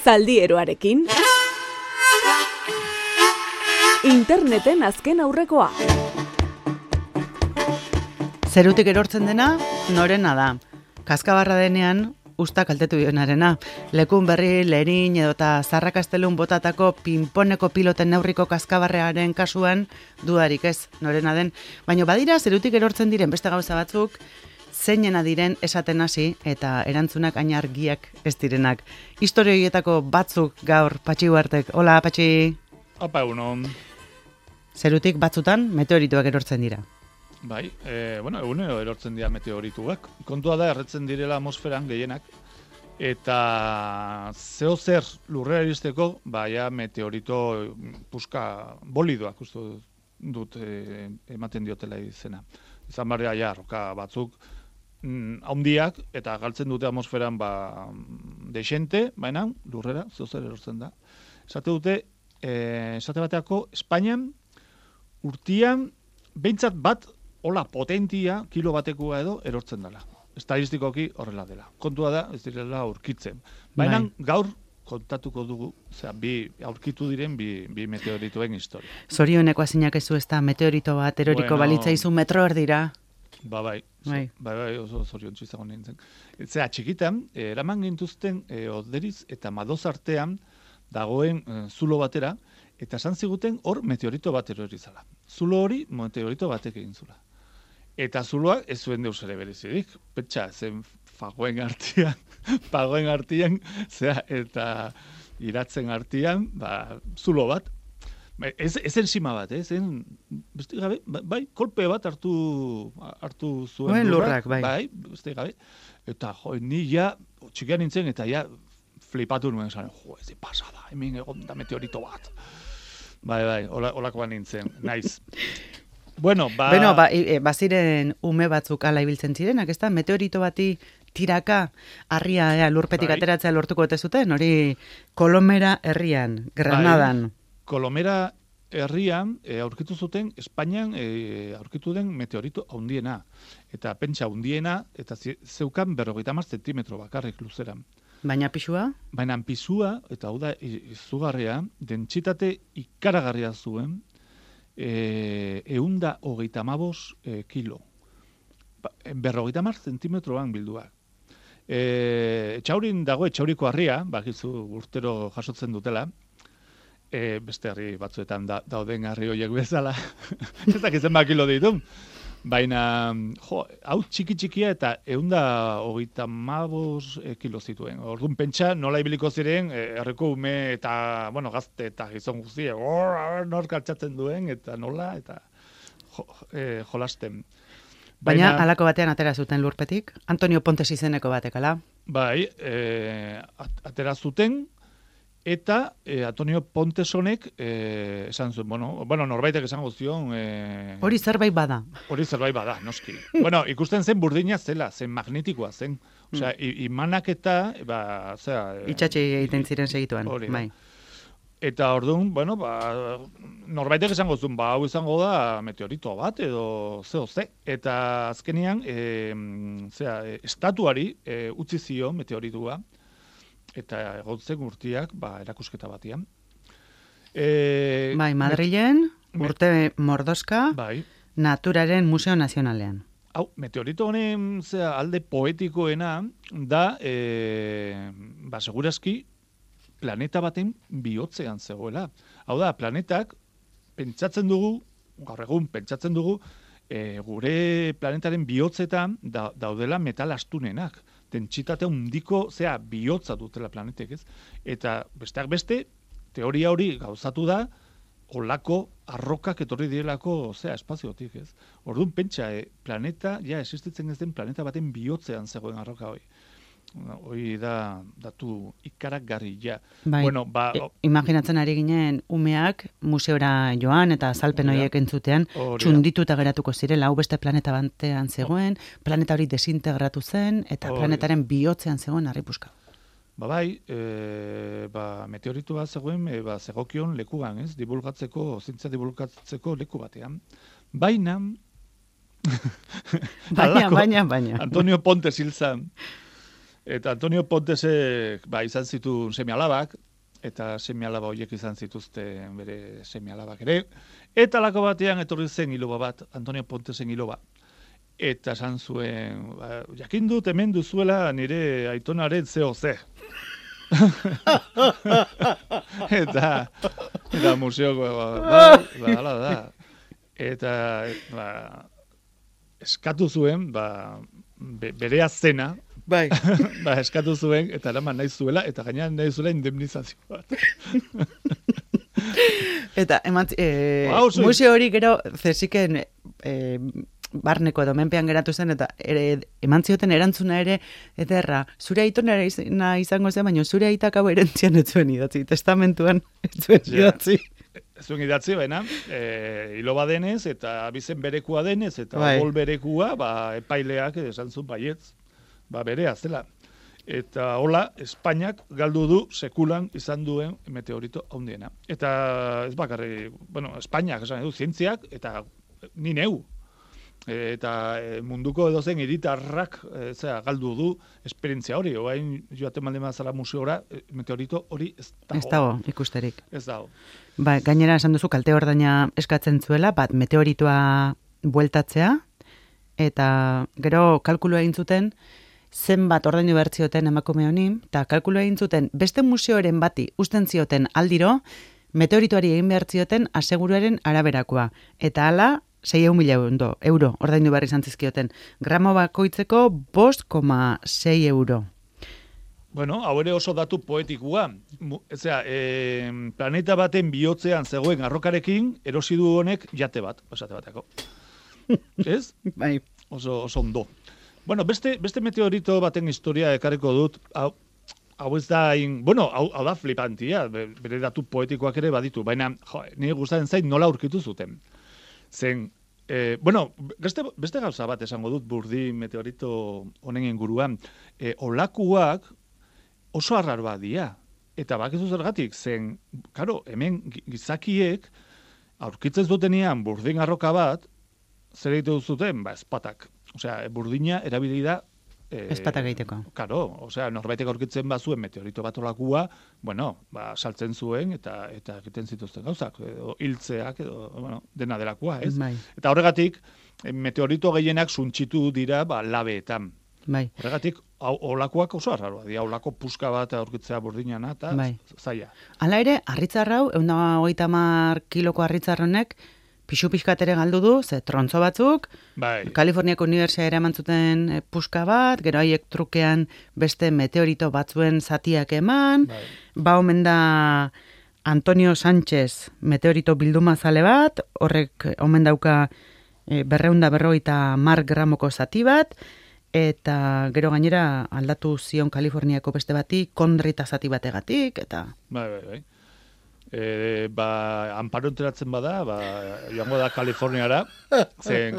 Zaldieroarekin. Interneten azken aurrekoa. Zerutik erortzen dena, norena da. Kaskabarra denean, usta kaltetu dionarena. Lekun berri, lerin edota zarrakastelun botatako pinponeko piloten neurriko kaskabarrearen kasuan dudarik ez, norena den. Baina badira, zerutik erortzen diren beste gauza batzuk, zeinena diren esaten hasi eta erantzunak hain argiak ez direnak. Historio horietako batzuk gaur Patxi Uartek. Hola, Patxi. Apa, egunon. Zerutik batzutan meteorituak erortzen dira. Bai, egunero erortzen dira meteorituak. Kontua da, erretzen direla atmosferan gehienak. Eta zeo zer lurrera iristeko, ja meteorito puska bolidoak uste dut ematen diotela izena. Izan barria ja, roka batzuk haundiak eta galtzen dute atmosferan desente, baina lurrera zeo zer erortzen da. Esate bateako, Espainian urtian behintzat bat hola potentia kilo batekoa edo erortzen dela. Estadistikoki horrela dela. Kontua da, ez direla aurkitzen. Baina gaur kontatuko dugu, aurkitu diren bi meteorituen historia. Zorioneko azinak ezu ez da meteorito bat eroriko balitza izu metro erdira. Bai, oso zoriontsu izango nintzen. Zera, txikitan, eraman gintuzten Oderiz eta Madoz artean dagoen zulo batera, eta esan ziguten hor meteorito bat erori zala. Zulo hori meteorito batek egin zula. Eta zuloak ez zuen deus ere berezirik. Pentsa, zen pagoen artian, eta iratzen artian, zulo bat. Ez enzima bat, zen, beste gabe, kolpe bat hartu zuen lurrak. Bai, beste gabe. Eta ni ja, txikian nintzen, eta ja, flipatu nuen esan, ez pasada, hemen egon da meteorito bat. Bai, holakoan nintzen, naiz. Baziren ume batzuk ala ibiltzen zirenak, ez da? Meteorito bati tiraka harria lurpetik ateratzea lortuko ote zuten, hori Kolomera herrian, Granadan. Kolomera herrian aurkitu zuten, Espainian aurkitu den meteorito handiena. Eta pentsa handiena, eta zeukan 50 zentimetro bakarrik luzeran. Baina pisua? Baina pisua, eta hau da izugarria, dentsitate ikaragarria zuen, 125 kilo. 50 zentimetroan bilduak. Etxaurin dago, etxauriko harria, bakizu urtero jasotzen dutela, beste harri batzuetan dauden harri horiek bezala, ez dakitzen kilo ditu. Baina, hau txiki-txikia eta 125 kilo zituen. Orduan pentsa nola ibiliko ziren, herriko ume eta, gazte eta gizon guztiak, nor kaltsatzen duen, eta nola, eta jolasten. Baina halako batean atera zuten lurpetik? Antonio Pontes izeneko batek, ala? Bai, atera zuten, eta Antonio Pontesonek esan zuen, norbaitek esango zion... Hori zerbait bada. Hori zerbait bada, noski. Ikusten zen burdina zela, zen magnetikoa zen. Osea, imanak eta... Itxatxe egiten ziren segituan. Bai. Eta orduan, norbaitek esango zuen, hau izango da meteorito bat edo ze. Eta azkenean, estatuari utzi zio meteoritua, eta egotzen urtiak, erakusketa batian. Madrilen, urte mordoska, Naturaren Museo Nazionalean. Hau, meteorito honen alde poetikoena da, segurazki, planeta baten bihotzean zegoela. Hau da, planetak, gaur egun pentsatzen dugu, gure planetaren bihotzetan daudela metal astunenak. Dentsitate handiko, bihotza dutela planetek, ez? Eta besteak beste, teoria hori gauzatu da, olako arrokak etorri direlako, espaziotik, ez? Orduan pentsa, planeta, existitzen ez den planeta baten bihotzean zegoen arroka hori. Hori da datu ikaragarri, Imaginatzen ari ginen umeak museora joan eta azalpen horiek entzutean txundituta geratuko zirela, hau beste planeta batean zegoen, planeta hori desintegratu zen eta planetaren bihotzean zegoen harripuska. Meteoritu bat zegoen, zegokion lekuan, ez? Zientzia divulgatzeko leku batean. Baina... Baina. Antonio Pontes hil zen. Eta Antonio Pontesek izan zituen seme-alabak, eta seme-alaba horiek izan zituzten bere seme-alabak ere. Eta lako batean etorri zen iloba bat, Antonio Pontesen iloba. Eta esan zuen, jakin dut hemen duzuela nire aitonaren ze. eta museoko, hala da. Eta eskatu zuen, bere azena, bai. Eskatu zuen, eta eraman nahi zuela, eta gainean nahi zuela indemnizazio bat. Eta, museo hori gero, zeziken, barneko edo menpean geratu zen, eta eman zioten erantzuna ere, ederra, zure aitonera izango zen, baina zure aitak hau erentzian ez zuen idatzi, testamentuan ez zuen idatzi. Ez zuen idatzi, baina, hiloba denez, eta abizen berekua denez, eta bol berekua, epaileak esan zuen baietz, berea zela. Eta hola, Espainiak galdu du sekulan izan duen meteorito handiena. Eta ez bakarri, Espainiak esan du, zientziak, eta ni neu. Eta munduko edozen hiritarrak galdu du esperientzia hori. Oain joaten malde mazala museora, meteorito hori ez dago. Ez dago, ikusterik. Ez dago. Gainera esan duzu kalte ordaina eskatzen zuela, meteoritoa bueltatzea, eta gero kalkulu egin zuten, zenbat ordaindu behar zioten emakume honi, eta kalkulu egin zuten beste museoren bati usten zioten aldiro, meteoritoari egin behar zioten aseguruaren araberakoa. Eta hala, 6.000 euro ordaindu behar izan zizkioten. Gramo bakoitzeko 5,6 euro. Bueno, hau ere oso datu poetikua. Planeta baten bihotzean zegoen arrokarekin, erosi du honek jate bat, esate bateko. Ez? Bai. Oso ondo. Bueno, beste meteorito baten historia ekarriko dut, hau ez da, hau da flipantia, bere datu poetikoak ere baditu, baina nire gustatzen zait nola aurkitu zuten. Zen, beste gauza bat esango dut burdi meteorito honen inguruan, olakuak oso arraroa dira, eta bakizu zergatik, zen, karo, hemen gizakiek aurkitzen zutenean burdin arroka bat, zer egiten zuten, espatak. Osea, burdina erabili da espatak egiteko. Karo, norbaitek aurkitzen bazuen meteorito bat olakua, saltzen zuen eta egiten zituzten gauzak, hiltzeak, dena delakoa, ez? Bai. Eta horregatik, meteorito gehienak suntxitu dira labeetan. Bai. Horregatik, olakoak oso arraroa, olako puska bat aurkitzea burdinana, eta zaila. Hala ere, harritzarrau, 130 kiloko harritzarronek, pixu pixkatere galdu du, ze trontzo batzuk, Kaliforniako Unibertsitatea eraman zuten puska bat, gero haiek trukean beste meteorito batzuen zatiak eman, omen da Antonio Sánchez meteorito bildumazale bat, horrek omen dauka 250 gramoko zati bat, eta gero gainera aldatu zion Kaliforniako beste bati, kondrita zati bategatik, eta... Bai. Amparo enteratzen bada, joango da Kaliforniara, zen,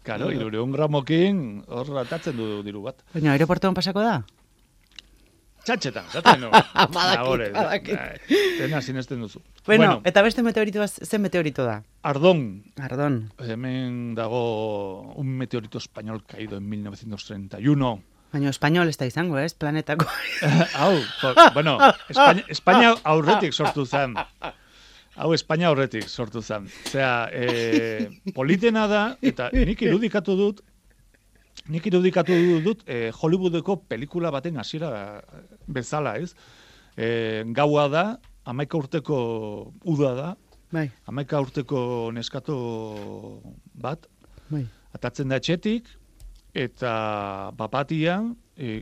karo, 200 gramokin hor ratatzen du diru bat. Baina, aeroportuan pasako da? Txantxetan, zaten no. Badakit. Tena sinesten duzu. Bueno, eta beste meteoritoa, zen meteorito da? Ardón. Hemen dago un meteorito español caído en 1931. Baina espainol ez da izango, ez? Planetako. Espainia aurretik sortu zen. Espainia aurretik sortu zen. Osea, politena da, eta nik irudikatu dut Hollywoodeko pelikula baten hasiera bezala, ez? Gaua da, 11 urteko uda da, 11 urteko neskato bat, atatzen da etxetik, eta bapatian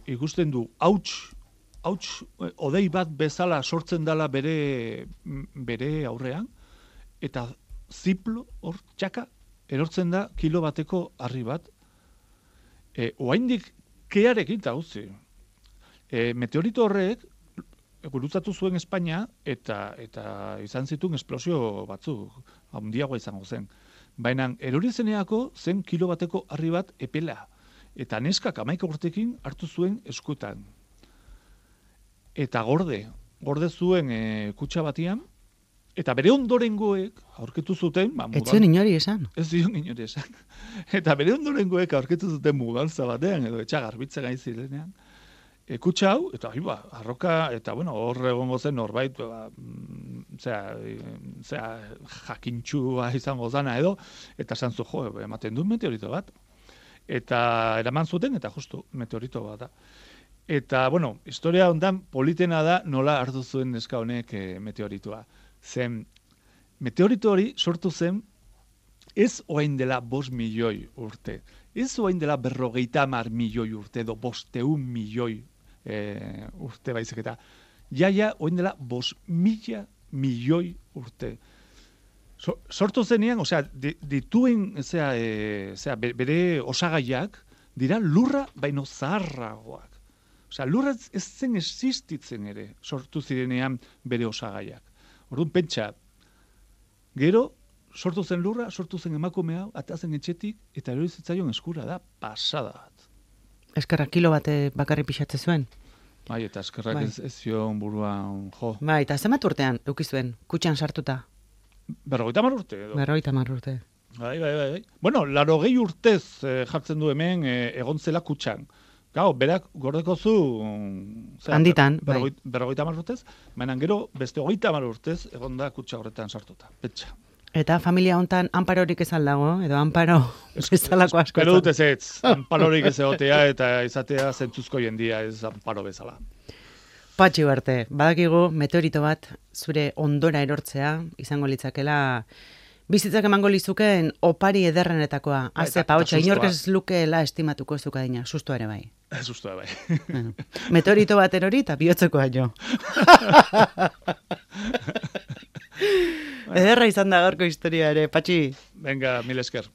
ikusten du hauts odei bat bezala sortzen dela bere aurrean, eta ziplo hor txaka erortzen da kilo bateko harri bat. Oaindik kearekin eta guzti. Meteorito horrek gurutzatu zuen Espainia eta izan zituen esplosio batzuk, handiagoa izango zen. Baina erori zeneako zen kilo bateko harri bat epela. Eta neskak 11 urtekin hartu zuen eskutan. Eta gorde zuen kutxa batian, eta bere ondorengoek aurkitu zuten... Ez zion inori esan. Ez zion inori esan. Eta bere ondorengoek aurkitu zuten mugaltza batean, edo etxagarbitza gain zirenean, kutsa hau, eta arroka, eta bueno, hor egongo zen norbait, jakintxua izango zana edo, eta zantzu, ematen du meteorito bat. Eta eraman zuten, eta justu, meteorito bat da. Eta, bueno, historia hondan politena da nola hartu zuen neska honek meteoritua. Zen, meteorito hori sortu zen, ez oain dela 5 milioi urte. Ez oain dela 50 milioi urte, edo 500 milioi urte baizik eta. Ja, oain dela 5.000 milioi urte. Sortu zenean, dituen, bere osagaiak, dira lurra baino zaharragoak. Lurra ez zen existitzen ere, sortu zirenean bere osagaiak. Orduan, pentsa, gero, sortu zen lurra, sortu zen emakume hau, atazen etxetik, eta erori zitzaion eskura da, pasada bat. Eskerrak kilo bat bakarri pixatze zuen. Bai, eta eskerrak ez zion buruan jo. Bai, eta zenbat urtean, eukizuen, kutxan sartuta? 50 urte edo. 50 urte. Bai. Bueno, 80 urtez jartzen du hemen egon zela kutxan. Gau, berak gordeko zu... Handitan, bai. 50 urtez, baina gero beste 30 urtez egon da kutxa horretan sartuta. Petxa. Eta familia hontan anparorik ez aldago, edo anparo bezalako asko. Espero dut ez, anparorik ez egotea eta izatea zentzuzko jendia ez anparo bezala. Patxi Ugarte, badakigu meteorito bat zure ondora erortzea izango litzakela bizitzak emango lizuken opari ederrenetakoa. Azepa, hotxa, inork ez lukeela estimatuko zukadina, susto ere bai. Susto ere bai. Bueno, meteorito bat erori eta bihotzekoa jo. Ederra izan da gaurko historia ere, Patxi. Venga, mil esker.